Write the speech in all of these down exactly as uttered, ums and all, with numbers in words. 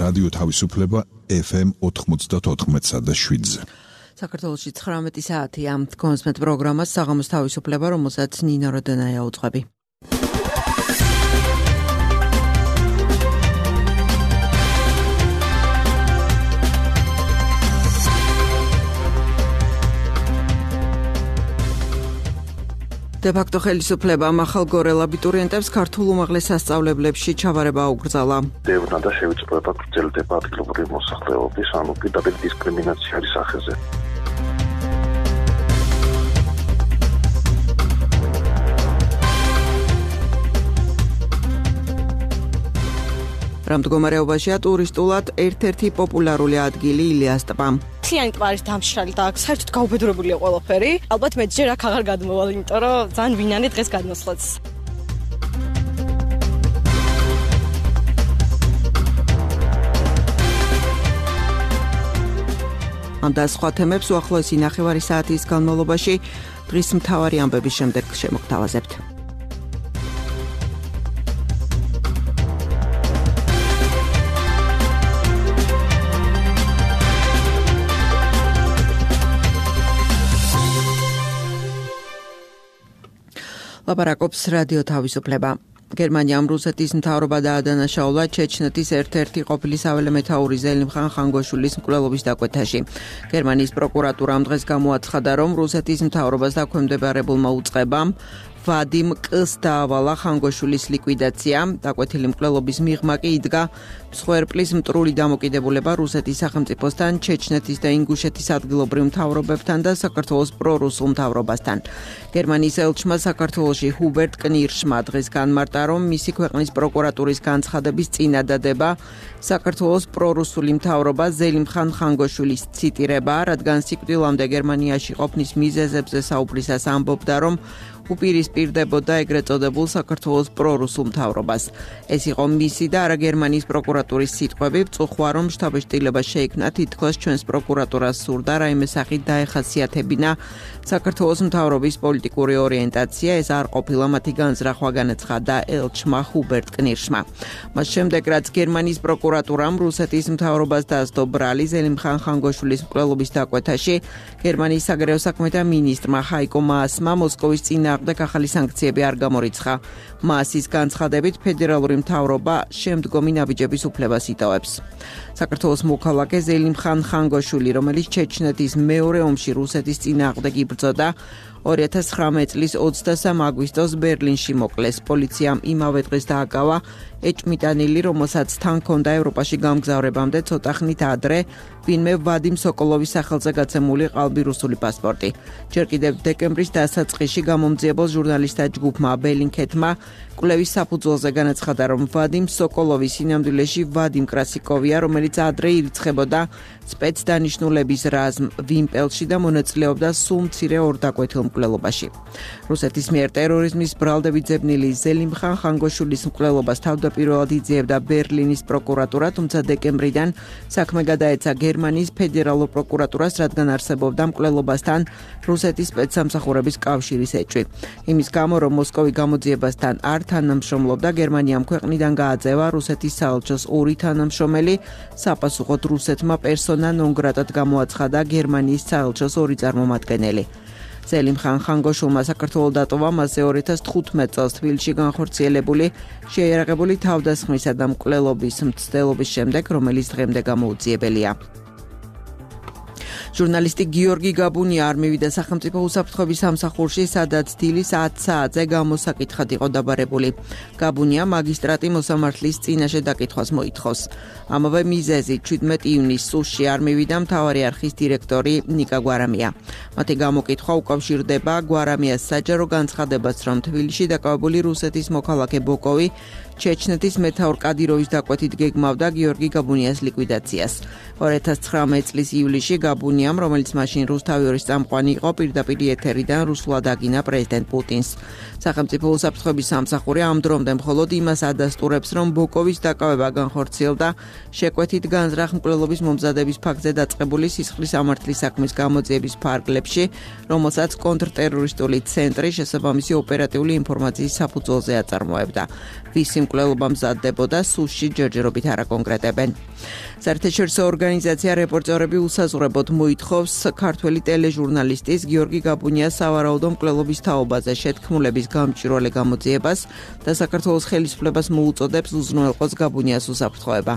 რადიო თავისუფლება ეფ ემ ოთხმოცდაოთხ და შვიდზე. საქართველოში ცხრამეტი საათია. კონსმეთ პროგრამას საღამოს თავისუფლება, რომელსაც ნინო როდენაია უძღვები. დე-ფაქტო ხელისუფლებამ ახალ გორელ აბიტურიენტებს ქართულ უმაღლეს სასწავლებლებში ჩაბარება აუკრძალა. დევნა და შევიწროება გრძელდება ადგილობრივი მოსახლეობის, ანუ პირდაპირ დისკრიმინაციის სახეზე. რა მდგომარეობაშია ტურისტულად ერთ-ერთი პოპულარული ადგილი ილიას ტბა. მთლიანი ტბა არის დამშრალი და საერთოდ გაუბედურებულია ყველაფერი. ალბათ მე ჯერ აქ აღარ გადმოვალ, იმიტომ რომ ძალიან ვინანი დღეს გადმოსვლაც. ამ და სხვა თემებს უახლოესი ნახევარი საათის განმავლობაში დღის მთავარი ამბების შემდეგ შემოგთავაზებთ. ლაპარაკობს რადიო თავისუფლება. გერმანიამ რუსეთის მთავრობა დაადანაშაულა ჩეჩნეთის ერთ-ერთი ყოფილი საველე მეთაური ზელიმხან ხანგოშვილის მკვლელობის დაკვეთაში. გერმანიის პროკურატურამ დღეს გამოაცხადა, რომ რუსეთის მთავრობას დაქვემდებარებულმა უწყებამ ვადიმ კ-ს დაავალა ხანგოშვილის ლიკვიდაცია. დაკვეთილი მკვლელობის მიღმა კი იდგა მსხვერპლის მტრული დამოკიდებულება რუსეთის სახელმწიფოსთან, ჩეჩნეთის და ინგუშეთის ადგილობრივ მთავრობებთან და საქართველოს პრორუსულ მთავრობასთან. გერმანიის ელჩმა საქართველოში ჰუბერტ კნირშმა დღეს განმარტა, რომ მისი ქვეყნის პროკურატურის განცხადების წინადადება საქართველოს პრორუსული მთავრობა ზელიმხან ხანგოშვილის ციტირება, რადგან სიკვდილამდე გერმანიაში ყოფნის მიზეზებზე საუბრისას ამბობდა, რომ უპირისპირდებოდა ეგრეთ წოდებულ საქართველოს პრორუსულ მთავრობას. ეს იყო მისი და არა გერმანიის პროკურატურის სიტყვები. ვწუხვა, რომ შთაბეჭდილება შეიქმნა, თითქოს ჩვენს პროკურატურას სურდა რაიმე სახით დაეხასიათებინა საქართველოს მთავრობის პოლიტიკური ორიენტაცია. ეს არ ყოფილა მათი განზრახვა, განაცხადა ელჩმა ჰუბერტ კნირშმა. მას შემდეგ, რაც გერმანიის პროკურატურამ რუსეთის მთავრობას დაასდო ბრალი ზელიმხან ხანგოშვილის მკვლელობის დაკვეთაში, გერმანიის საგარეო საქმეთა მინისტრმა ჰაიკო მაასმა მოსკოვის წინააღმდეგ ახალი სანქციები არ გამორიცხა. მაასის განცხადებით ფედერალური მთავრობა შემდგომი ნაბიჯების უფლებას იტოვებს. საქართველოს მოქალაქე ზელიმხან ხანგოშვილი, რომელიც ჩეჩნეთის მეორე ომში რუსეთის წინააღმდეგ იბრძოდა, ორი ათას ცხრამეტი წლის ოცდასამ აგვისტოს ბერლინში მოკლეს. პოლიციამ იმავე დღეს დააკავა ეჭმიტანილი, რომელსაც თან ჰქონდა ევროპაში გამგზავრებამდე ცოტა ხნით ადრე ვინმე ვადიმ სოკოლოვის სახელზე გაცემული ყალბი რუსული პასპორტი. ჯერ კიდევ დეკემბრის დასაწყისში გამომძიებელ ჟურნალისტთა ჯგუფმა ბელინქეთმა კვლევის საფუძველზე განაცხადა, რომ ვადიმ სოკოლოვი სინამდვილეში ვადიმ კრასიკოვია, რომელიც ადრე ირიცხებოდა სპეცდანიშნულების რაზმ ვიმპელში და მონაწილეობდა სულ მცირე ორ დაკვეთილ მკვლელობაში. რუსეთის მიერ ტერორიზმის ბრალდებით ძებნილი ზელიმხან ხანგოშვილის მკვლელობას თავდაპირველად იძიებდა ბერლინის პროკურატურა, თუმცა დეკემბრიდან საქმე გადაეცა გერმანიის ფედერალურ პროკურატურას, რადგან არსებობდა მკვლელობასთან რუსეთის სპეცსამსახურების კავშირის ეჭვი. იმის გამო, რომ მოსკოვი გამოძიებასთან არ თანამშრომლობდა, გერმანიამ ქვეყნიდან გააძევა რუსეთის საელჩოს ორი თანამშრომელი. საპასუხოდ რუსეთმა პერსონა ნონ გრატად გამოაცხადა გერმანიის საელჩოს ორი წარმომადგენელი. ზელიმხან ხანგოშვილმა საქართველოს დატოვა მასზე ორი ათას თხუთმეტ წელს თბილისში განხორციელებული შეიარაღებული თავდასხმისა და მკვლელობის მცდელობის შემდეგ, რომელიც დღემდე გამოუძიებელია. ჟურნალისტი გიორგი გაბუნია არ მივიდა სახელმწიფო უსაფრთხოების სამსახურში, სადაც დილის ათ საათზე გამოსაკითხად იყო დაბარებული. გაბუნია მაგისტრატი მოსამართლის წინაშე დაკითხვას მოითხოვს. ამავე მიზეზით შვიდმეტი ივნისს სუსში არ მივიდა მთავარი არხის დირექტორი ნიკა გვარამია. მათი გამოკითხვა უკავშირდება გვარამიას საჯარო განცხადებას, რომ თბილისში დაკავებული რუსეთის მოქალაქე ბოკოვი ჩეჩნეთის მეთაურ კადიროვის დაკვეთით გეგმავდა გიორგი გაბუნიას ლიკვიდაციას. ორი ათას ცხრამეტი წლის ივლისში გაბუნია გაბუნიამ, რომელიც მაშინ რუსთავის წამყვანი იყო, პირდაპირ ეთერიდან რუსულად აგინა პრეზიდენტ პუტინს. სახელმწიფო უსაფრთხოების სამსახური ამ დრომდე მხოლოდ იმას ადასტურებს, რომ ბოკოვის დაკავება განხორციელდა შეკვეთით განზრახ მკვლელობის მომზადების ფაქტზე დაწყებული სისხლის სამართლის საქმის გამოძიების ფარგლებში, რომელსაც კონტრტერორისტული ცენტრი შესაბამისი ოპერატიული ინფორმაციის საფუძველზე აწარმოებდა. ვისი მკვლელობა მზადდებოდა, სულში ჯერჯერობით არ აკონკრეტებენ. საერთაშორისო ორგანიზაცია რეპორტერები უსაზღვრებოდ მოითხოვს ქართველი ტელეჟურნალისტის გიორგი გაბუნიას სავარაუდო მკვლელობის თაობაზე შეთქმულების გამჭვირვალე გამოძიებას და საქართველოს ხელისუფლებას მოუწოდებს უზრუნველყოს გაბუნიას უსაფრთხოება.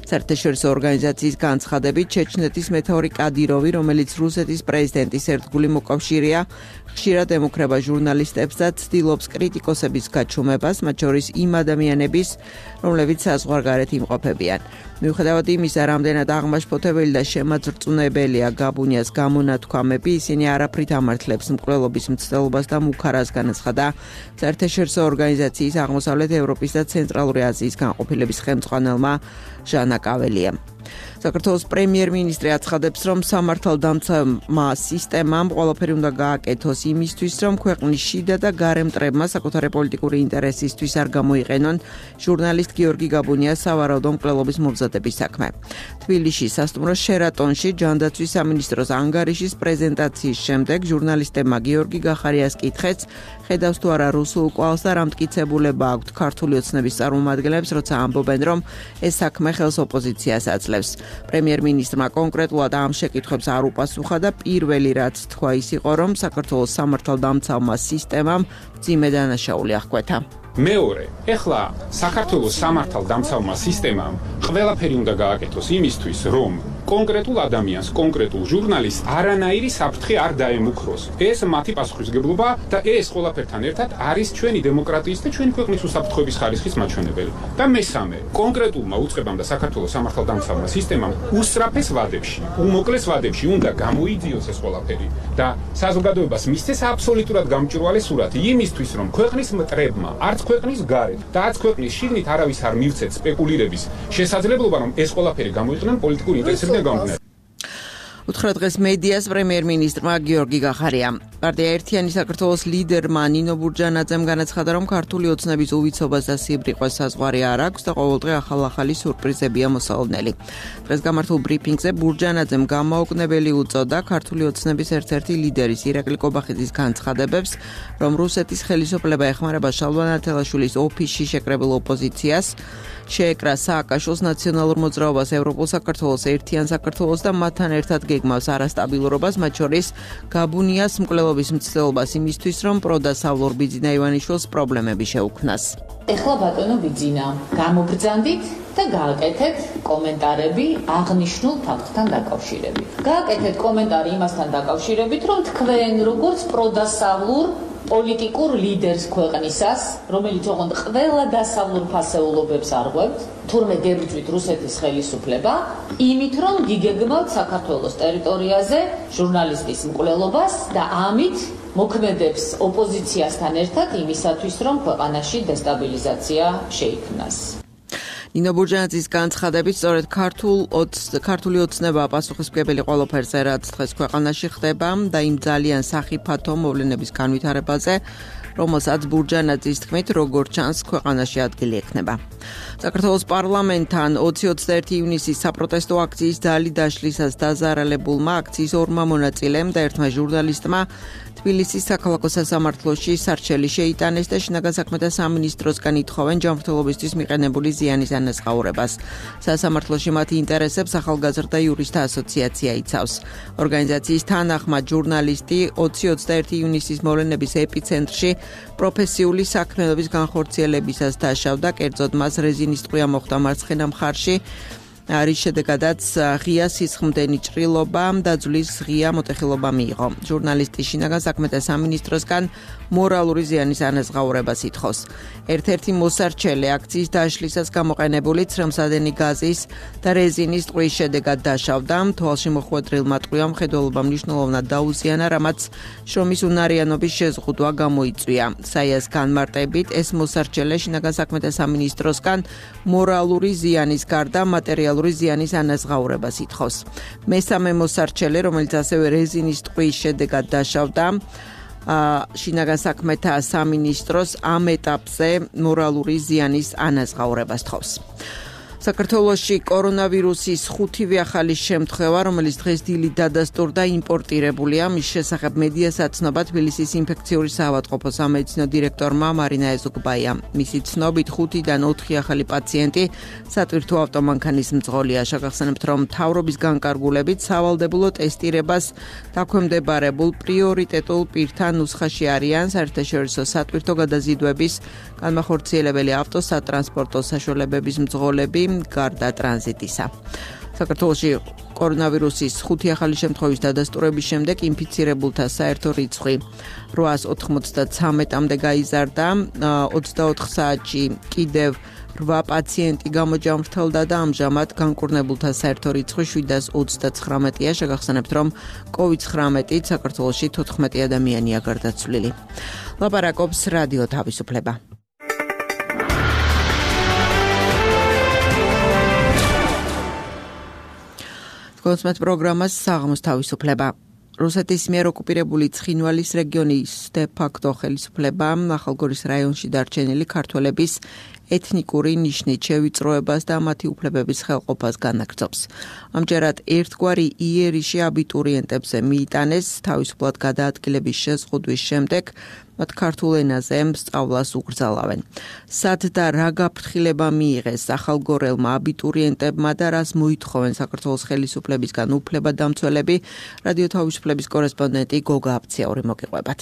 საერთაშორისო ორგანიზაციის განცხადებით, ჩეჩნეთის მეთაური კადიროვი, რომელიც რუსეთის პრეზიდენტის ერთგული მოკავშირეა, ხშირად ემუქრება ჟურნალისტებს და ცდილობს კრიტიკოსების გაჩუმებას, მათ შორის იმ ადამიანების, რომლებიც საზღვარგარეთ იმყოფებიან. მიუხედავად იმისა, რამდენად აღმაშფოთებელი და შემაძრწუნებელია გაბუნიას გამონათქვამები, ისინი არაფრით ამართლებს მკვლელობის მცდელობას და მუქარას განაცხადა საერთაშორისო ორგანიზაციის აღმოსავლეთ ევროპის და ცენტრალური აზიის განყოფილების ხელმძღვანელმა ჟანა კაველიამ. საქართველოს პრემიერ-მინისტრი აცხადებს, რომ სამართალდამცავმა სისტემამ ყველაფერი უნდა გააკეთოს იმისთვის, რომ ქვეყნის შიდა და გარე მტრებმა საკუთარი პოლიტიკური ინტერესისთვის არ გამოიყენონ ჟურნალისტ გიორგი გაბუნიას სავარაუდო მკვლელობის მომზადების საქმე. თბილისში სასტუმრო შერატონში ჯანდაცვის სამინისტროს ანგარიშის პრეზენტაციის შემდეგ ჟურნალისტებმა გიორგი გახარიას კითხեց, ხედავს თუ არა რუსულ კვალს და რა მტკიცებულება აქვთ ქართული ოცნების წარმომადგენლებს, როცა ამბობენ, რომ ეს საქმე ხელს ოპოზიციას აძლევს. პრემიერ-მინისტრმა კონკრეტულად ამ შეკითხვებს არ უპასუხა და პირველი რაც თქვა ის იყო, რომ საქართველოს სამართალდამცავმა სისტემამ მძიმე დანაშაული აღკვეთა. მეორე, ეხლა საქართველოს სამართალდამცავმა სისტემამ ყველაფერი უნდა გააკეთოს იმისთვის, რომ კონკრეტულ ადამიანს, კონკრეტულ ჟურნალისტს არანაირი საფრთხე არ დაემუქროს. ეს მათი პასუხისმგებლობა და ეს ყველაფერთან ერთად არის ჩვენი დემოკრატიის და ჩვენი ქვეყნის უსაფრთხოების ხარისხის მაჩვენებელი. და მესამე, კონკრეტულმა უწყებამ და საქართველოს სამართალდამცავმა სისტემამ უსწრაფეს ვადებში, უმოკლეს ვადებში უნდა გამოიძიოს ეს ყველაფერი და საზოგადოებას მისცეს აბსოლუტურად გამჭვირვალე სურათი იმისთვის, რომ ქვეყნის მტრებმა არც ქვეყნის გარეთ და არც ქვეყნის შიგნით არავის არ მივცეთ სპეკულირების შესაძლებლობა, რომ ეს ყველაფერი გამოიყენონ პოლიტიკური ინტერესებიდან. უთხრა დღეს მედიას პრემიერ-მინისტრმა გიორგი გახარიამ. პარტია ერთიანი საქართველოს ლიდერმა ნინო ბურჯანაძემ განაცხადა, რომ ქართული ოცნების უვიცობას და სიბრიყვეს საზღვარი არ აქვს და ყოველდღე ახალ-ახალი სიურპრიზებია მოსალოდნელი. დღეს გამართულ ბრიფინგზე ბურჯანაძემ გამაოგნებელი უწოდა ქართული ოცნების ერთ-ერთი ლიდერის ირაკლი კობახიძის განცხადებებს, რომ რუსეთის ხელისუფლება ეხმარება შალვა ნათელაშვილის ოფისში შეკრებილ ოპოზიციას, შეეკრა სააკაშვილის ნაციონალურ მოძრაობას ევროპულ საქართველოს ერთიან საქართველოს და მათთან ერთად გეგმავს არასტაბილურობას, მათ შორის გაბუნიას მკვლელობის მცდელობას იმისთვის, რომ პროდასავლურ ბიძინა ივანიშვილს პრობლემები შეუქმნას. ეხლა ბატონო ბიძინა, გამობრძანდით და გააკეთეთ კომენტარები აღნიშნულ ფაქტთან დაკავშირებით. გააკეთეთ კომენტარი იმასთან დაკავშირებით, რომ თქვენ როგორც პროდასავლურ პოლიტიკურ ლიდერს ქვეყნისას, რომელიც ოღონდ ყველა დასავლურ ფასეულობებს არღვევთ, თურმე გებრძვით რუსეთის ხელისუფლება, იმით რომ გიგეგმავთ საქართველოს ტერიტორიაზე ჟურნალისტის მკვლელობას და ამით მოქმედებს ოპოზიციასთან ერთად იმისათვის, რომ ქვეყანაში დესტაბილიზაცია შეიქმნას. ნინო ბურჯანაძის განცხადებით, სწორედ ქართულ ქართული ოცნება პასუხისმგებელი ყველაფერზე, რაც დღეს ქვეყანაში ხდება და იმ ძალიან სახიფათო მოვლენების განვითარებაზე, რომელსაც ბურჯანაძის თქმით, როგორც ჩანს, ქვეყანაში ადგილი ექნება. საქართველოს პარლამენტთან ოცი ოცდაერთი ივნისის საპროტესტო აქციის ძალი დაშლისას დაზარალებულმა აქციის ორმა მონაწილემ და ერთმა ჟურნალისტმა თბილისის საქალაქო სასამართლოში სარჩელი შეიტანეს და შინაგან საქმეთა სამინისტროსგან ითხოვენ ჯანმრთელობისთვის მიყენებული ზიანის ანაზღაურებას. სასამართლოში მათი ინტერესებს ახალგაზრდა იურისტთა ასოციაცია იცავს. ორგანიზაციის თანახმად ჟურნალისტი ოცი ოცდაერთი ივნისის მოვლენების ეპიცენტრში პროფესიული საქმიანობის განხორციელებისას დაშავდა, კერძოდ მას რეზინის ტყვია მოხდა მარცხენა მხარში. არის შედეგადაც ღია სისხლდენი ჭრილობა და ძვლის ღია მოტეხილობა მიიღო. ჟურნალისტი შინაგან საქმეთა სამინისტროსგან მორალური ზიანის ანაზღაურებას ითხოვს. ერთ-ერთი მოსარჩელე აქციის დაშლისას გამოყენებული ცრემლსადენი გაზის და რეზინის ტყვის შედეგად დაშავდა. თვალში მოხვედრილმა ტყვიამ მხედველობა მნიშვნელოვნად დაუზიანა, რამაც შრომის უნარიანობის შეზღუდვა გამოიწვია. საიას განმარტებით, ეს მოსარჩელე შინაგან საქმეთა სამინისტროსგან მორალური ზიანის გარდა მატერიალური მატერიალური ზიანის ანაზღაურებას ითხოვს. მესამე მოსარჩელე, რომელიც ასევე რეზინის ტყვის შედეგად დაშავდა, შინაგან საქმეთა სამინისტროს ამ ეტაპზე მორალური ზიანის ანაზღაურებას თხოვს. საქართველოში კორონავირუსის ხუთივე ახალი შემთხვევა, რომელიც დღეს დილით დადასტურდა, იმპორტირებულია. მის შესახებ მედიას აცნობა თბილისის ინფექციური საავადმყოფოს სამედიცინო დირექტორმა მარინა ეზუკბაიამ. მისი ცნობით ხუთიდან ოთხი ახალი პაციენტი სატვირთო ავტომანქანის მძღოლია. შეგახსენებთ, რომ მთავრობის განკარგულებით სავალდებულო ტესტირებას დაქვემდებარებულ პრიორიტეტულ პირთა ნუსხაში არიან საერთაშორისო სატვირთო გადაზიდვების განმახორციელებელი ავტოსატრანსპორტო საშუალებების მძღოლები გარდა ტრანზიტისა. საქართველოში კორონავირუსის ხუთი ახალი შემთხვევის დადასტურების შემდეგ ინფიცირებულთა საერთო რიცხვი რვაას ოთხმოცდაცამეტამდე გაიზარდა. ოცდაოთხ საათში კიდევ რვა პაციენტი გამოჯამრთელდა და ამჟამად განკურნებულთა საერთო რიცხვი შვიდას ოცდაცხრამეტია. შეგახსენებთ, რომ კოვიდ ცხრამეტით საქართველოში თოთხმეტი ადამიანია გარდაცვლილი. ლაპარაკობს რადიო თავისუფლება. კონსმეთ პროგრამას საღამოს თავისუფლება. რუსეთის მიერ ოკუპირებული ცხინვალის რეგიონის დე-ფაქტო ხელისუფლება ახალგორის რაიონში დარჩენილი ქართველების ეთნიკური ნიშნით შევიწროებას და მათი უფლებების ხელყოფას განაგრძობს. ამჯერად ერთგვარი იერიში აბიტურიენტებზე მიიტანეს თავისუფლად გადაადგილების შეზღუდვის შემდეგ მათ ქართულ ენაზე სწავლას უკრძალავენ. სად და რა გაფრთხილება მიიღეს ახალგორელმა აბიტურიენტებმა და რას მოითხოვენ საქართველოს ხელისუფლებისგან უფლებადამცველები, რადიო თავისუფლების კორესპონდენტი გოგა აფციაური მოგიყვებათ.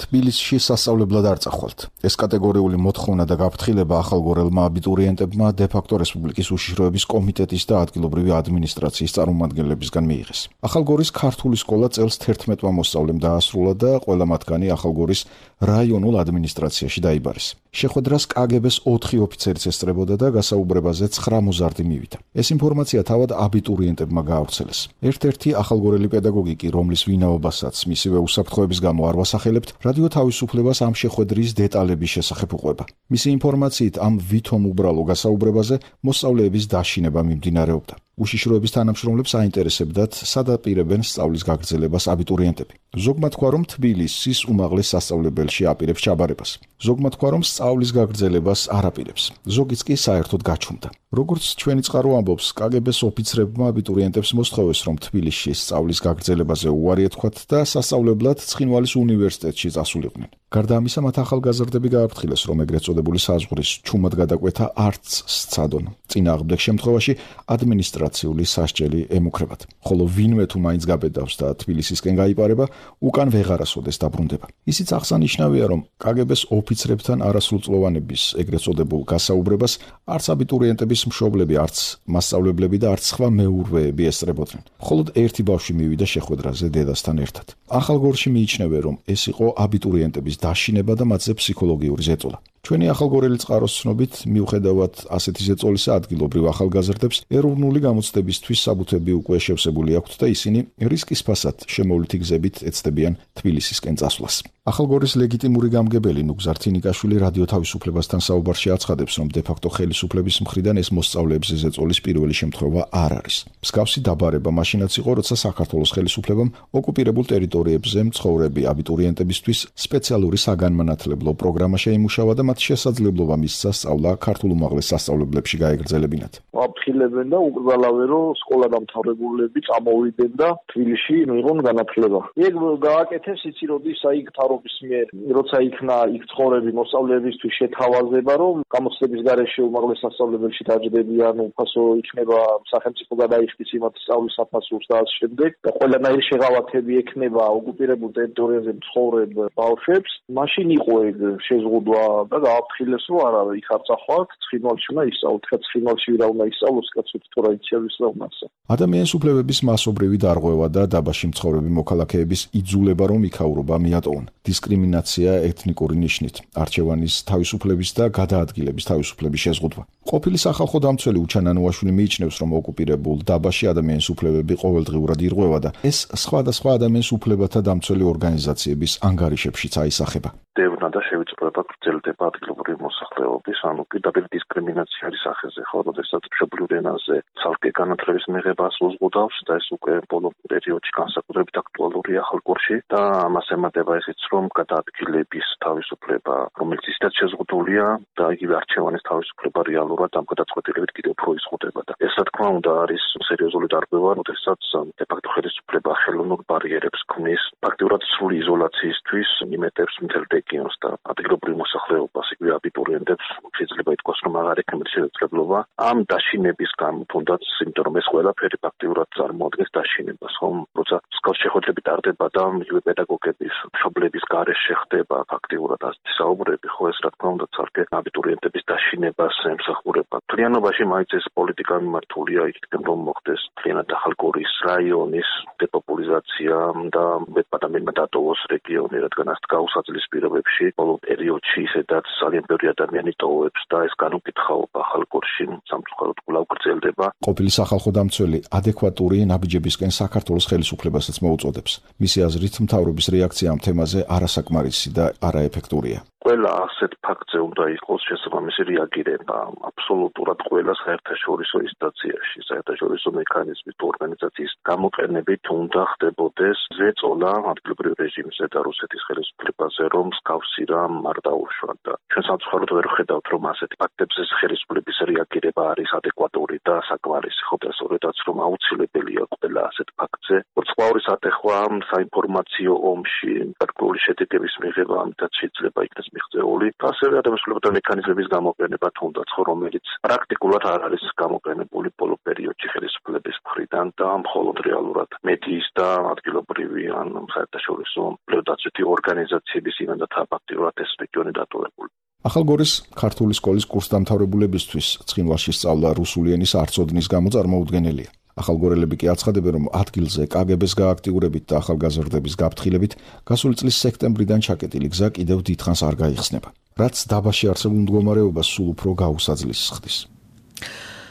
თბილისში სასწავლებლად არ წახვალთ. ეს კატეგორიული მოთხოვნა და გაფრთხილება ახალგორელმა აბიტურიენტებმა დე-ფაქტო რესპუბლიკის უშიშროების კომიტეტის და ადგილობრივი ადმინისტრაციის წარმომადგენლებისგან მიიღეს. ახალგორის ქართული სკოლა წელს თერთმეტმა მოსწავლემ დაასრულა და ყველა მათგანი ახალგორის რაიონულ ადმინისტრაციაში დაიბარეს. შეხვედრას კაგებეს ოთხი ოფიცერიც ესწრებოდა და გასაუბრებაზე ცხრა მოზარდი მივიდა. ეს ინფორმაცია თავად აბიტურიენტებმა გაავრცელეს. ერთ-ერთი ახალგორელი პედაგოგი კი, რომლის ვინაობასაც მისივე უსაფრთხოების გამო არ ვასახელებთ, რადიო თავისუფლებას ამ შეხვედრის დეტალების შესახებ უყვება. მისი ინფორმაციით ამ ვითომ უბრალო გასაუბრებაზე მოსწავლეების დაშინება მიმდინარეობდა. უშიშროების თანამშრომლებს აინტერესებდათ, სად აპირებენ სწავლის გაგრძელებას აბიტურიენტები. ზოგმა თქვა, რომ თბილისის უმაღლეს სასწავლებელში აპირებს ჩაბარებას. ზოგმა თქვა, რომ სწავლის გაგრძელებას არ აპირებს. ზოგიც კი საერთოდ გაჩუმდა. როგორც ჩვენი წყარო ამბობს, კაგებეს ოფიცრებმა აბიტურიენტებს მოსთხოვეს, რომ თბილისში სწავლის გაგრძელებაზე უარი ეთქვათ და სასწავლებლად ცხინვალის უნივერსიტეტში წასულიყვნენ. გარდა ამისა, მათ ახალგაზრდები გააფრთხილეს, რომ ეგრეთ წოდებული საზღვრის ჩუმად გადაკვეთა არც სცადონ. წინააღმდეგ შემთხვევაში ადმინისტრაციული სასჯელი ემუქრებათ. ხოლო ვინმე თუ მაინც გაბედავს და თბილისისკენ გაიპარება, უკან ვეღარასოდეს დაბრუნდება. ისიც აღსანიშნავია, რომ კაგებეს ოფიცრებთან არასრულწლოვანების ეგრეთ წოდებულ გასაუბრებას არც აბიტურიენტების მშობლები, არც მასწავლებლები და არც სხვა მეურვეები ესწრებოდნენ. მხოლოდ ერთი ბავშვი მივიდა შეხვედრაზე დედასთან ერთად. ახალგორში მიიჩნევენ, რომ ეს იყო აბიტურიენტების დაშინება და მათზე ფსიქოლოგიური ზეწოლა. ჩვენი ახალგორელი წყაროს ცნობით, მიუხედავად ასეთი ზეწოლისა, ადგილობრივ ახალგაზრდებს ეროვნული გამოცდებისთვის საბუთები უკვე შევსებული აქვთ და ისინი რისკის ფასად შემოვლითი გზებით ეცდებიან თბილისისკენ წასვლას. ახალგორის ლეგიტიმური გამგებელი ნუგზარ თინიკაშვილი რადიო თავისუფლებასთან საუბარში აცხადებს, რომ დე-ფაქტო ხელისუფლების მხრიდან ეს მოსწავლეებზე ზეწოლის პირველი შემთხვევა არ არის. მსგავსი დაბარება მაშინაც იყო, როცა საქართველოს ხელისუფლებამ ოკუპირებულ ტერიტორიებზე მცხოვრები აბიტურიენტებისთვის სპეციალური საგანმანათლებლო პროგრამა შეიმუშავა და მათ შესაძლებლობა მისცა სწავლა ქართულ უმაღლეს სასწავლებლებში გაეგრძელებინათ. აფრთხილებენ და უკრძალავენ, რომ სკოლა დამთავრებულები წამოვიდნენ და თბილისში მიიღონ განათლება. ეგ გააკეთეს იცი როდის აი მთავრობის მიერ, როცა იქნა იქ ცხოვრები მოსწავლეებისთვის შეთავაზება, რომ გამოცდების გარეშე უმაღლეს სასწავლებელში დაჯდებიან, უფასო იქნება სახელმწიფო გადაიხდის იმათ სწავლის საფასურს და ასე შემდეგ და ყველანაირი შეღავათები ექნება ოკუპირებულ ტერიტორიაზე მცხოვრებ ბავშვებს. მაშინ იყო ეგ შეზღუდვა და გააფრთხილეს, რომ არა, იქ არ წახვალთ, ცხინვალში უნდა ისწავლოთ, ხა ცხინვალში ვირა უნდა ისწავლოს, კაცოთ თუ რა იცის და უნასა. ადამიანის უფლებების მასობრივი დარღვევა და დაბაში მცხოვრები მოქალაქეების იძულება, რომ იქაურობა მიატოვონ. დისკრიმინაცია ეთნიკური ნიშნით, არჩევანის თავისუფლების და გადაადგილების თავისუფლების შეზღუდვა. ყოფილი სახალხო დამცველი უჩანანოაშვილი მიიჩნევს, რომ ოკუპირებულ დაბაში ადამიანის უფლებები ყოველდღიურად ირღვევა და ეს სხვადასხვა ადამიანის უფლებათა დამცველი ორგანიზაციების ანგარიშებშიც აისახება. დევნა და შევიწროება გრძელდება ადგილობრივი მოსახლეობის, ანუ პირდაპირ დისკრიმინაცია არის სახეზე, ხო, როდესაც მშობლიურ ენაზე ცალკე განათლების მიღებას უზღუდავს და ეს უკვე ბოლო პერიოდში განსაკუთრებით აქტუალურია ხალხურში და ამას ემატება ისიც, რომ გადაადგილების თავისუფლება, რომელიც ისედაც შეზღუდულია და იგივე არჩევანის თავისუფლება რეალურად ამ გადაწყვეტილებით კიდევ უფრო იზღუდება და ეს რა თქმა უნდა არის სერიოზული დარღვევა, როდესაც დე-ფაქტო ხელისუფლება ხელოვნურ ბარიერებს ქმნის ფაქტიურად სრული იზოლაციისთვის იმეტებს მთელ რეგიონს და ადგილობრივ მოსახლეობას, იგივე აბიტურიენტებს შეიძლება ითქვას, რომ აღარ ექნება შესაძლებლობა ამ დაშინების გამო, თუნდაც იმიტომ რომ ეს ყველაფერი ფაქტიურად წარმოადგენს დაშინებას, ხომ? როცა მსგავს შეხვედრები ტარდება და იგივე პედაგოგების მშობლების გარეშე ხდება ფაქტიურად ასეთი საუბრები, ხო, ეს რა თქმა უნდა ცალკე აბიტურიენტების დაშინებას ემსახურება. მთლიანობაში მაინც ეს პოლიტიკა მიმართულია იქნებ რომ მოხდეს მთლიანად ახალგორის რაიონის დეპოპულიზაცია და მეტ-ადამიანმა დატოვოს რეგიონი, რადგან ასეთ გაუსაძლის პირობებში ბოლო პერიოდში ისედაც ძალიან ბევრი ადამიანი ტოვებს და ეს განუკითხაობა ახალგორში სამწუხაროდ კვლავ გრძელდება. ყოფილი სახალხო დამცველი ადეკვატური ნაბიჯებისკენ საქართველოს ხელისუფლებასაც მოუწოდებს. მისი აზრით, მთავრობის რეაქცია ამ თემაზე არასაკმარისი და არაეფექტურია. ყველა ასეთ ფაქტზე უნდა იყოს შესაბამისი რეაგირება აბსოლუტურად ყველა საერთაშორისო ინსტანციაში, საერთაშორისო მექანიზმის თუ ორგანიზაციის გამოყენებით უნდა ხდებოდეს ზეწოლა ადგილობრივ რეჟიმზე და რუსეთის ხელისუფლებაზე, რომ მსგავსი რამ არ დაუშვათ და ჩვენ სამწუხაროდ ვერ ხედავთ, რომ ასეთი ფაქტებზე ხელისუფლების რეაგირება არის ადეკვატური და საკმარისი, ხო და სწორედაც რომ აუცილებელია ყველა ასეთ ფაქტზე ვარცხავრის ატეხვა საინფორმაციო ომში გარკვეული შედეგების მიღება, ამიტაც შეიძლება იქნეს მიღწეული, ასევე ადამიანთა მექანიზმების გამოყენება თუნდაც ხო, რომელიც პრაქტიკულად არ არის გამოყენებული ბოლო პერიოდში ხელისუფლების მხრიდან და მხოლოდ რეალურად მედიის და ადგილობრივი ან საერთაშორისო პლეოდაცვითი ორგანიზაციების იმედათა ფაქტიურად ეს რეგიონი დატოვებული. ახალგორის ქართული სკოლის კურსდამთავრებულებისთვის ცხინვალში სწავლა რუსული ენის არცოდნის გამო წარმოუდგენელია. ახალგორელები კი აცხადებენ, რომ ადგილზე კაგებეს გააქტიურებით და ახალგაზრდების გაფრთხილებით გასული წლის სექტემბრიდან ჩაკეტილი გზა კიდევ დიდხანს არ გაიხსნება, რაც დაბაში არსებულ მდგომარეობას სულ უფრო გაუსაძლის ხდის.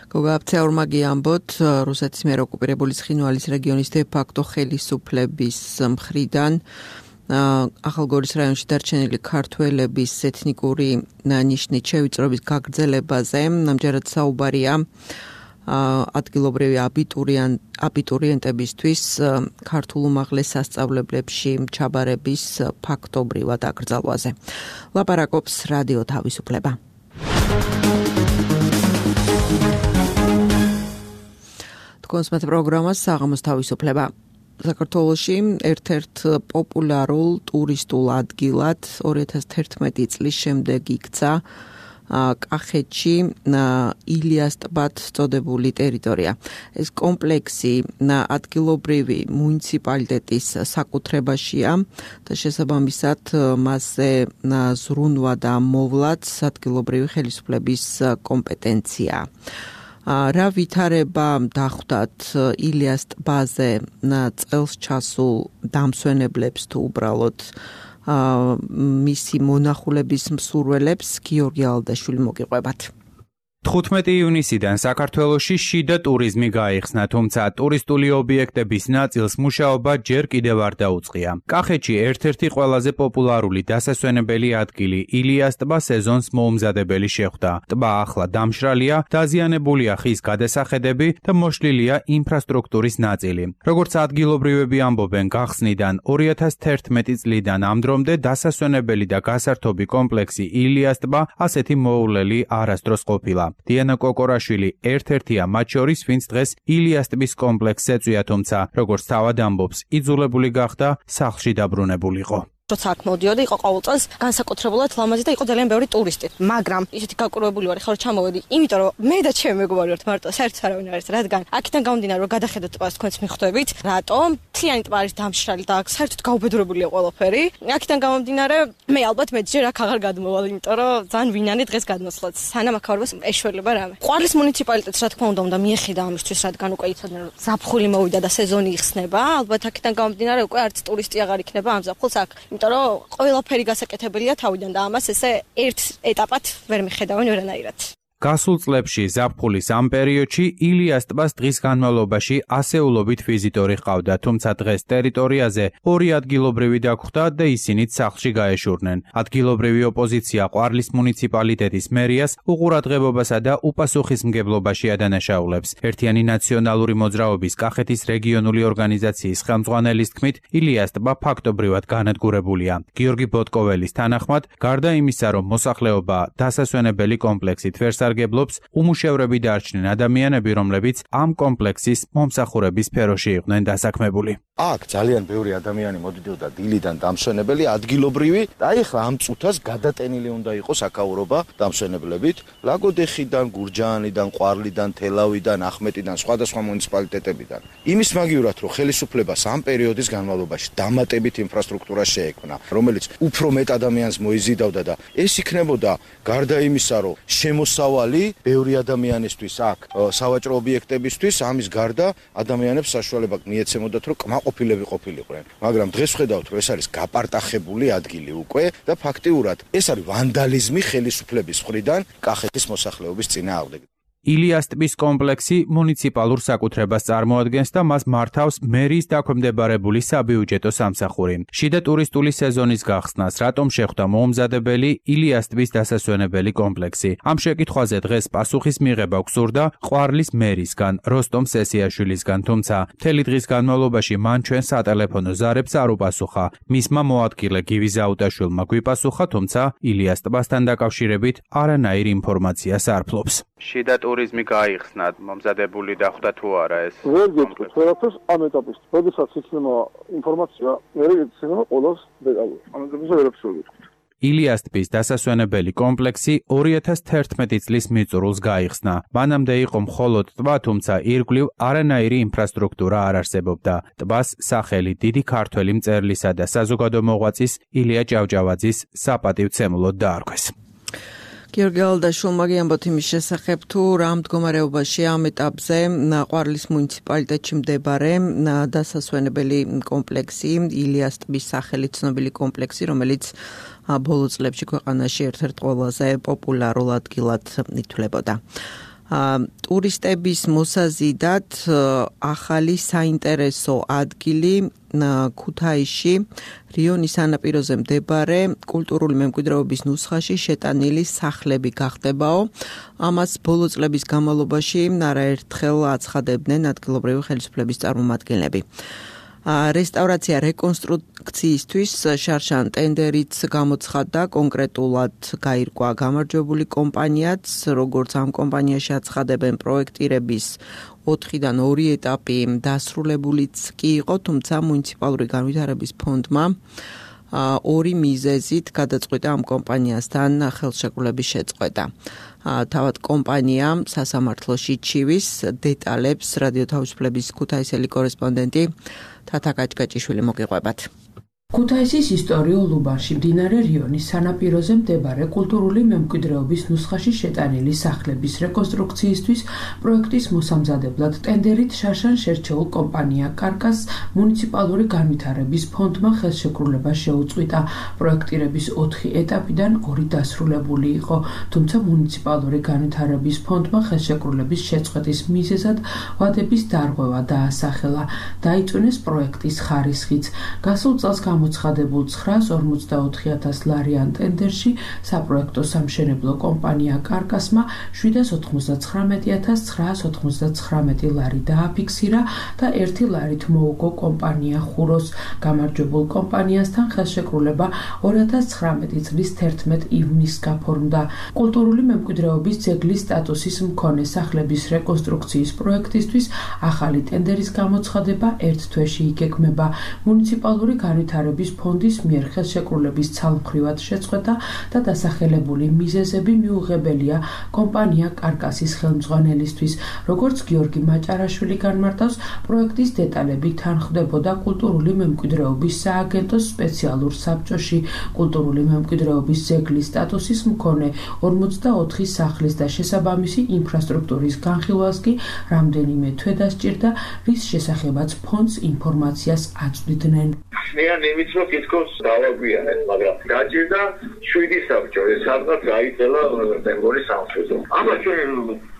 გოგა აფცეურმა გიამბოთ, რუსეთის მიერ ოკუპირებული ცხინვალის რეგიონის დე-ფაქტო ხელისუფლების მხრიდან ახალგორის რაიონში დარჩენილი ქართველების ეთნიკური ნიშნით შევიწროების გაგრძელებაზე, ამჯერად საუბარია ადგილობრივი აბიტურიენტებისთვის ქართულ უმაღლეს სასწავლებლებში ჩაბარების ფაქტობრივად აკრძალვაზე. ლაპარაკობს რადიო თავისუფლება. თქვენს მათ პროგრამას საღამოს თავისუფლება. საქართველოში ერთ-ერთ პოპულარულ ტურისტულ ადგილად ორი ათას თერთმეტი წლის შემდეგ იქცა კახეთში ილიას ტბად წოდებული ტერიტორია. ეს კომპლექსი ადგილობრივი მუნიციპალიტეტის საკუთრებაშია და შესაბამისად მასზე ზრუნვა და მოვლაც ადგილობრივი ხელისუფლების კომპეტენცია. რა ვითარება დახვდათ ილიას ტბაზე წელს ჩასულ დამსვენებლებს თუ უბრალოდ მისი მონახულების მსურველებს გიორგი ალდაშვილი მოგიყვებათ. თხუთმეტი ივნისიდან საქართველოში შიდა ტურიზმი გაიხსნა, თუმცა ტურისტული ობიექტების ნაწილს მუშაობა ჯერ კიდევ არ დაუწყია. კახეთში ერთ-ერთი ყველაზე პოპულარული დასასვენებელი ადგილი ილიას ტბა სეზონს მოუმზადებელი შეხვდა. ტბა ახლა დამშრალია, დაზიანებულია ხის გადასახედები და მოშლილია ინფრასტრუქტურის ნაწილი. როგორც ადგილობრივები ამბობენ, გახსნიდან ორი ათას თერთმეტი წლიდან ამ დრომდე დასასვენებელი და გასართობი კომპლექსი ილიას ტბა ასეთი მოულელი არასდროს ყოფილა. დიანა კოკორაშვილი ერთ-ერთია მათ შორის, ვინც დღეს ილიას ტბის კომპლექსს ეწვია, თუმცა როგორც თავად ამბობს, იძულებული გახდა სახლში დაბრუნებულიყო. როცა აქ მოდიოდი, იყო ყოველ წელს განსაკუთრებულად ლამაზი და იყო ძალიან ბევრი ტურისტი. მაგრამ ისეთი გაკურვებული ვარ, ხარ ჩამოვედი, იმიტომ რომ მე და ჩემი მეგობარი ვართ მარტო, საერთოდ არავინ არ არის, რადგან აქიდან გამომდინარე, რომ გადახედოთ ტბას თქვენს მიხვდებით, რატომ მთლიანი ტბა არის დამშრალი და აქ საერთოდ გაუბედურებულია ყველაფერი. აქიდან გამომდინარე, მე ალბათ მეჯერ აქ აღარ გადმოვალ, იმიტომ რომ ძალიან ვინანი დღეს გადმოსვლაც. სანამ აქ ავარბას ეშველება რამე. ყვარლის მუნიციპალიტეტს რა თქმა უნდა უნდა მიეხედა ამისთვის, რადგან უკვე იცოდნენ, რომ ზაფხული მოვიდა და სეზონი იხსნება. ალბათ აქიდან გამომდინარე, უკვე არც ტურისტი აღარ იქნება ამ ზაფხულს აქ. იმიტომ რომ ყველაფერი გასაკეთებელია თავიდან და ამას ესე ერთ ეტაპად ვერ მიხედავენ ვერანაირად. გასულ წლებში ზაფხულის ამ პერიოდში ილიას ტბას დღის განმავლობაში ასეულობით ვიზიტორი ჰყავდა, თუმცა დღეს ტერიტორიაზე ორი ადგილობრივი დაგხვდა და ისინიც სახლში გაეშურნენ. ადგილობრივი ოპოზიცია ყვარლის მუნიციპალიტეტის მერიას უყურადღებობასა და უპასუხისმგებლობაში ადანაშაულებს. ერთიანი ნაციონალური მოძრაობის კახეთის რეგიონული ორგანიზაციის ხელმძღვანელის თქმით, ილიას ტბა ფაქტობრივად განადგურებულია. გიორგი ბოტკოველის თანახმად, გარდა იმისა, რომ მოსახლეობა დასასვენებელი კომპლექსით ვერ სარგებლობს, უმუშევრები დარჩნენ ადამიანები, რომლებიც ამ კომპლექსის მომსახურების სფეროში იყვნენ დასაქმებული. აქ ძალიან ბევრი ადამიანი მოდიოდა დილიდან დამსვენებელი, ადგილობრივი და ეხლა ამ წუთას გადატენილი უნდა იყოს აკაურობა დამსვენებლებით. ლაგოდეხიდან, გურჯაანიდან, ყვარლიდან, თელავიდან, ახმეტიდან, სხვადასხვა მუნიციპალიტეტებიდან. იმის მაგივრად, რომ ხელისუფლებას ამ პერიოდის განმავლობაში დამატებით ინფრასტრუქტურა შეექმნა, რომელიც უფრო მეტ ადამიანს მოიზიდავდა და ეს იქნებოდა გარდა იმისა, რომ შემოსავალი ბევრი ადამიანისთვის აქ სავაჭრო ობიექტებისთვის, ამის გარდა ადამიანებს საშუალება მიეცემოდათ, რომ კმაყოფილები ყოფილიყვნენ. მაგრამ დღეს ხედავთ, რომ ეს არის გაპარტახებული ადგილი უკვე და ფაქტიურად ეს არის ვანდალიზმი ხელისუფლების მხრიდან კახეთის მოსახლეობის წინააღმდეგ. ილიას ტბის კომპლექსი მუნიციპალურ საკუთრებას წარმოადგენს და მას მართავს მერიის დაქვემდებარებული საბიუჯეტო სამსახური. შიდა ტურისტული სეზონის გახსნას რატომ შეხვდა მოუმზადებელი ილიას ტბის დასასვენებელი კომპლექსი? ამ შეკითხვაზე დღეს პასუხის მიღება გსურდა ყვარლის მერისგან, როსტომ სესიაშვილისგან, თუმცა მთელი დღის განმავლობაში მან ჩვენ სატელეფონო ზარებს არ უპასუხა. მისმა მოადგილე გივი ზაუტაშვილმა გვიპასუხა, თუმცა ილიას ტბასთან დაკავშირებით არანაირ ინფორმაციას არ ფლობს. შიდა ტურიზმი გაიხსნა, მომზადებული დახვდა თუ არა ეს? ვერ გეტყვით, ვერაფერს ამ ეტაპის. როდესაც იქნება ინფორმაცია, მე ეცემა ყოველს დეტალურად. ამ ეტაპზე ვერაფერს ვერ გეტყვით. ილიას ტბის დასასვენებელი კომპლექსი ორი ათას თერთმეტი წლის მიწურულს გაიხსნა. მანამდე იყო მხოლოდ ტბა, თუმცა ირგვლივ არანაირი ინფრასტრუქტურა არ არსებობდა. ტბას სახელი დიდი ქართველი მწერლისა და საზოგადო მოღვაწის ილია ჭავჭავაძის საპატივცემულოდ დაარქვეს. გიორგი ალდაშვილმა გიამბოთ იმის შესახებ, თუ რა მდგომარეობაში ამ ეტაპზე ყვარლის მუნიციპალიტეტში მდებარე დასასვენებელი კომპლექსი, ილიას ტბის სახელით ცნობილი კომპლექსი, რომელიც ბოლო წლებში ქვეყანაში ერთ-ერთ ყველაზე პოპულარულ ადგილად ითვლებოდა. ტურისტების მოსაზიდად ახალი საინტერესო ადგილი ქუთაისში რიონის სანაპიროზე მდებარე კულტურული მემკვიდრეობის ნუსხაში შეტანილი სახლები გახდებაო. ამას ბოლო წლების განმავლობაში არაერთხელ აცხადებდნენ ადგილობრივი ხელისუფლების წარმომადგენლები. რესტავრაცია რეკონსტრუქციისთვის შარშან ტენდერიც გამოცხადდა, კონკრეტულად გაირკვა გამარჯვებული კომპანიაც, როგორც ამ კომპანიაში აცხადებენ პროექტირების ოთხიდან ორი ეტაპი დასრულებულიც კი იყო, თუმცა მუნიციპალური განვითარების ფონდმა ორი მიზეზით გადაწყვიტა ამ კომპანიასთან ხელშეკრულების შეწყვეტა. თავად კომპანია სასამართლოში ჩივის დეტალებს რადიო თავისუფლების ქუთაისელი კორესპონდენტი თათა კაჭკაჭიშვილი მოგიყვებათ. ქუთაისის ისტორიულ უბანში მდინარე რიონის სანაპიროზე მდებარე კულტურული მემკვიდრეობის ნუსხაში შეტანილი სახლების რეკონსტრუქციისთვის პროექტის მოსამზადებლად ტენდერით შარშან შერჩეულ კომპანია კარკას მუნიციპალური განვითარების ფონდმა ხელშეკრულება შეუწყვიტა. პროექტირების ოთხი ეტაპიდან ორი დასრულებული იყო, თუმცა მუნიციპალური განვითარების ფონდმა ხელშეკრულების შეწყვეტის მიზეზად ვადების დარღვევა დაასახელა. დაიწუნეს პროექტის ხარისხიც. გასულ წელს გამოცხადებულ ცხრაას ორმოცდაოთხი ათას ლარიან ტენდერში საპროექტო სამშენებლო კომპანია კარკასმა შვიდას ოთხმოცდაცხრამეტი ათას ცხრაას ოცდაცხრამეტი ლარი დააფიქსირა და ერთი ლარით მოუგო კომპანია ხუროს. გამარჯვებულ კომპანიასთან ხელშეკრულება ორი ათას ცხრამეტი წლის თერთმეტ ივნისს გაფორმდა. კულტურული მემკვიდრეობის ძეგლის სტატუსის მქონე სახლების რეკონსტრუქციის პროექტისთვის ახალი ტენდერის გამოცხადება ერთ თვეში იგეგმება. მუნიციპალური განვითარების ფონდის მიერ ხელშეკრულების ცალმხრივად შეწყვეტა და დასახელებული მიზეზები მიუღებელია კომპანია კარკასის ხელმძღვანელისთვის. როგორც გიორგი მაჭარაშვილი განმარტავს, პროექტის დეტალები თანხმდებოდა კულტურული მემკვიდრეობის სააგენტოს სპეციალურ საბჭოში. კულტურული მემკვიდრეობის ძეგლის სტატუსის მქონე ორმოცდაოთხი სახლის და შესაბამისი ინფრასტრუქტურის განხილვას კი რამდენიმე თვე დასჭირდა, რის შესახებაც ფონდს ინფორმაციას აწვდიდნენ. მე იმედებით რომ თითქოს დავაგვიანეთ, მაგრამ დაჭირდა შვიდი საბჭო, ეს სადღაც გაიწელა მეგონის სამშვიდო. ამას ჩვენ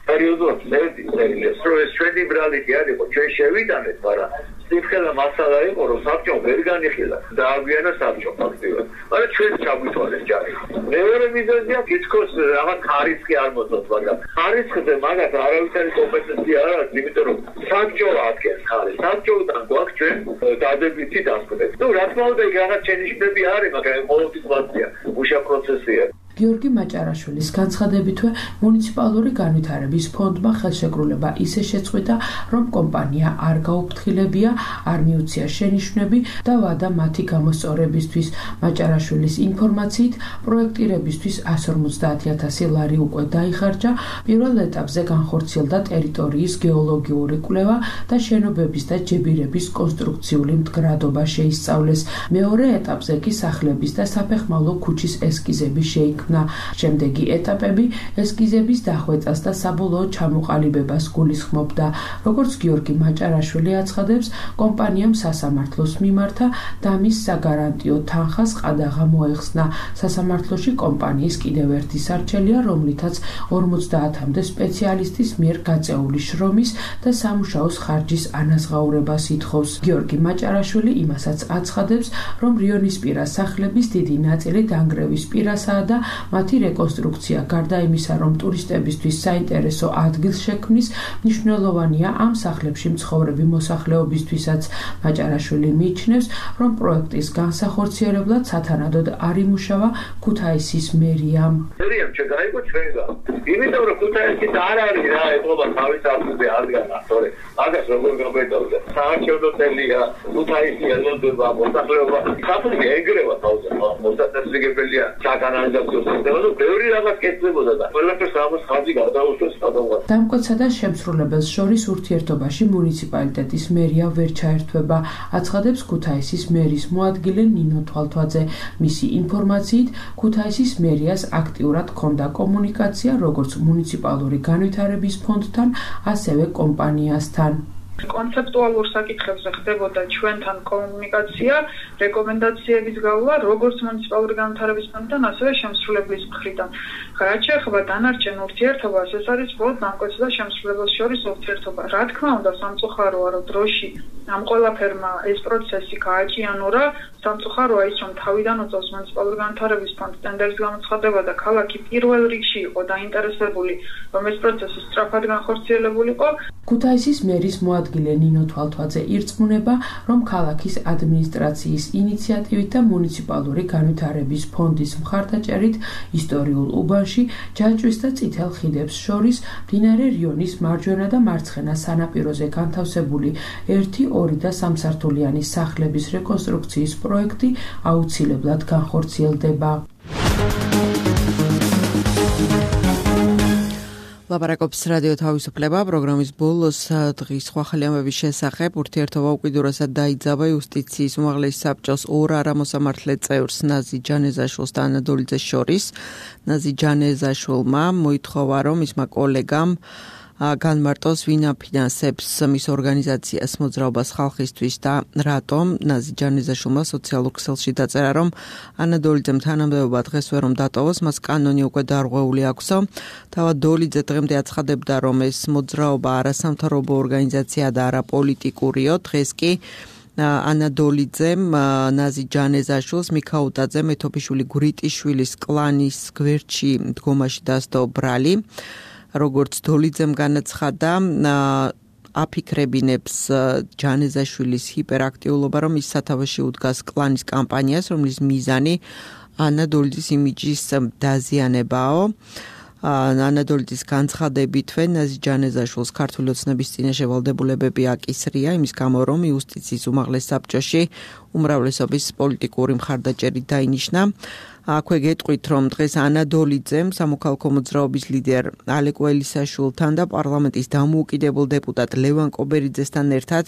პერიოდულად წერდი, წერილებს, რომ ეს შვედი ბრალიტი არ იყო, ჩვენ შევიტანეთ, მაგრამ სიფხელა მასალა იყო, რომ საბჭომ ვერ განიხილა, დააგვიანა საბჭო ფაქტიურად. მაგრამ ჩვენ ჩაგვითვალეს ჯარი. მეორე მიზეზია თითქოს რაღაც ხარისხი არ მოწოთ, მაგრამ ხარისხზე მაგათ არავითარი კომპეტენცია არ აქვს, იმიტომ რომ საბჭო ადგენს ხარისხს. საბჭოდან გვაქვს ჩვენ დადებითი დასკვნა. ნუ რა თქმა უნდა, იქ რაღაც შენიშვნები არის, მაგრამ ყოველთვის ვაცია, მუშა პროცესია. გიორგი მაჭარაშვილის განცხადებითვე მუნიციპალური განვითარების ფონდმა ხელშეკრულება ისე შეწყვიტა, რომ კომპანია არ გაუფრთხილებია, არ მიუცია შენიშვნები და ვადა მათი გამოსწორებისთვის. მაჭარაშვილის ინფორმაციით, პროექტირებისთვის εκατს ორმოცდაათი ათასი ლარი უკვე დაიხარჯა, პირველ ეტაპზე განხორციელდა ტერიტორიის გეოლოგიური კვლევა და შენობების და ჯებირების კონსტრუქციული მდგრადობა შეისწავლეს. მეორე ეტაპზე კი სახლების და საფეხმავლო ქუჩის ესკიზები შეიქმნა. შემდეგი ეტაპები ესკიზების დახვეწას და საბოლოო ჩამოყალიბებას გულისხმობდა. როგორც გიორგი მაჭარაშვილი აცხადებს, კომპანიამ სასამართლოს მიმართა და მის საგარანტიო თანხას ყადაღა მოეხსნა. სასამართლოში კომპანიის კიდევ ერთი სარჩელია, რომლითაც ორმოცდაათამდე სპეციალისტის მიერ გაწეული შრომის და სამუშაოს ხარჯის ანაზღაურებას ითხოვს. გიორგი მაჭარაშვილი იმასაც აცხადებს, რომ რიონისპირა სახლების დიდი ნაწილი დანგრევის პირასაა და მათი რეკონსტრუქცია გარდა იმისა, რომ ტურისტებისთვის საინტერესო ადგილს შექმნის, მნიშვნელოვანია ამ სახლებში მცხოვრები მოსახლეობისთვისაც. მაჭარაშვილი მიიჩნევს, რომ პროექტის განსახორციელებლად სათანადოდ არ იმუშავა ქუთაისის მერიამ. მერიამ შეგაიგო ჩვენგან. იმიტომ რომ ქუთაისის არ არის რა ეთყობა თავის არხზე ადგანა, თორე მაგას როგორ გაბედავდა. საარჩევნო წელია, ქუთაისი ელოდება მოსახლეობა. საფრთხე ეგრევა თავზე, მოსაწესრიგებელია საკანალიზაციო და ბევრი რაღაც კეთდებოდა და ყველაფერს ამას ხაზი გადაუშვეს სადავღაც. დამკვეთსა და შემსრულებელს შორის ურთიერთობაში მუნიციპალიტეტის მერია ვერ ჩაერთვება, აცხადებს ქუთაისის მერის მოადგილე ნინო თვალთვაძე. მისი ინფორმაციით, ქუთაისის მერიას აქტიურად ჰქონდა კომუნიკაცია როგორც მუნიციპალური განვითარების ფონდთან, ასევე კომპანიასთან. კონცეპტუალურ საკითხებზე ხდებოდა ჩვენთან კომუნიკაცია, რეკომენდაციების გავლა, როგორც მუნიციპალური განვითარების ფონდთან, ასევე შემსრულებლის მხრიდან. რაც შეეხება დანარჩენ ურთიერთობას, ეს არის მხოლოდ დამკვეთს და შემსრულებელს შორის ურთიერთობა. რა თქმა უნდა, სამწუხაროა, რომ დროში ამ ყველაფერმა ეს პროცესი გააჭიანურა. სამწუხაროა ის, რომ თავიდან უწევს მუნიციპალური განვითარების ფონდს ტენდერის გამოცხადება და ქალაქი პირველ რიგში იყო დაინტერესებული, რომ ეს პროცესი სწრაფად განხორციელებულიყო. ქუთაისის მერის მოადგილე ნინო თვალთვაძე ირწმუნება, რომ ქალაქის ადმინისტრაციის ინიციატივით და მუნიციპალური განვითარების ფონდის მხარდაჭერით ისტორიულ უბანში, ჯაჭვის და წითელ ხიდებს შორის მდინარე რიონის მარჯვენა და მარცხენა სანაპიროზე განთავსებული ერთი, ორი და სამსართულიანი სახლების რეკონსტრუქციის პროექტი აუცილებლად განხორციელდება. ლაპარაკობს რადიო თავისუფლება პროგრამის ბოლოს დღის სხვა ხალხების შესახებ ურთიერთობა უკიდურესად დაიძაბა იუსტიციის უმაღლესი საბჭოს ორ არამოსამართლე წევრს ნაზი ჯანეზაშვილს და ანა დოლიძეს შორის. ნაზი ჯანეზაშვილმა მოითხოვა, რომ მისმა კოლეგამ განმარტოს ვინ აფინანსებს მის ორგანიზაციას მოძრაობას ხალხისთვის და რატომ. ნაზი ჯანეზაშვილმა სოციალურ ქსელში დაწერა, რომ ანა დოლიძემ თანამდებობა დღეს ვერ რომ დატოვოს, მას კანონი უკვე დარღვეული აქვსო. თავად დოლიძე დღემდე აცხადებდა, რომ ეს მოძრაობა არასამთავრობო ორგანიზაცია და არა პოლიტიკურიო. დღეს კი ანა დოლიძემ ნაზი ჯანეზაშვილს, მიქაუტაძე, მეთოფიშვილი, გვრიტიშვილის კლანის გვერდში დგომაში დასდო ბრალი. როგორც დოლიძემ განაცხადა, აფიქრებინებს ჯანეზაშვილის ჰიპერაქტიულობა, რომ ის სათავეში უდგას კლანის კამპანიას, რომლის მიზანი ანა დოლიძის იმიჯის დაზიანებაო. ანა დოლიძის განცხადებითვე ნაზი ჯანეზაშვილს ქართული ოცნების წინაშე ვალდებულებები აკისრია, იმის გამო, რომ იუსტიციის უმაღლეს საბჭოში უმრავლესობის პოლიტიკური მხარდაჭერით დაინიშნა. აქვე გეტყვით, რომ დღეს ანა დოლიძემ სამოქალაქო მოძრაობის ლიდერ ალეკ ველისაშვილთან და პარლამენტის დამოუკიდებელ დეპუტატ ლევან კობერიძესთან ერთად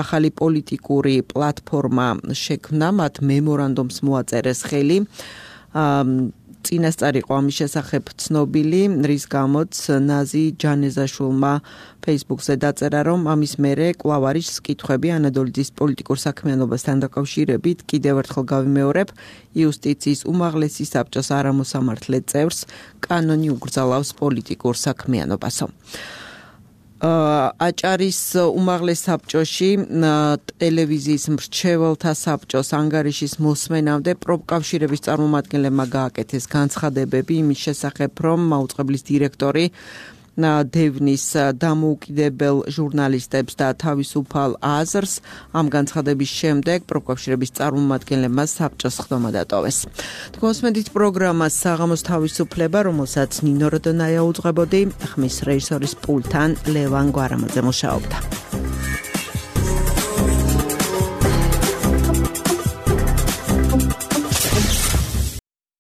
ახალი პოლიტიკური პლატფორმა შექმნა, მათ მემორანდუმს მოაწერეს ხელი. წინასწარ იყო ამის შესახებ ცნობილი, რის გამოც ნაზი ჯანეზაშვილმა Facebook-ზე დაწერა, რომ ამის მერე კვლავ არის კითხვები ანადოლიძის პოლიტიკურ საქმიანობასთან დაკავშირებით. კიდევ ერთხელ გავიმეორებ, იუსტიციის უმაღლესი საბჭოს არამოსამართლე წევრს კანონი უკრძალავს პოლიტიკურ საქმიანობასო. აჭარის უმაღლეს საბჭოში ტელევიზიის მრჩეველთა საბჭოს ანგარიშის მოსმენამდე პროფკავშირების წარმომადგენლებმა გააკეთეს განცხადებები იმის შესახებ, რომ მაუწყებლის დირექტორი დევნის დამოუკიდებელ ჟურნალისტებს და თავისუფალ აზრს ამ განცხადების შემდეგ პროფკავშირების წარმომადგენლებმა საბჭოს ხდომა დატოვეს. თქვენსმენთ პროგრამას საღამოს თავისუფლება, რომელსაც ნინო როდონაია უძღვებოდი, ხმის რეჟისორის პულტთან ლევან გვარამაძე მუშაობდა.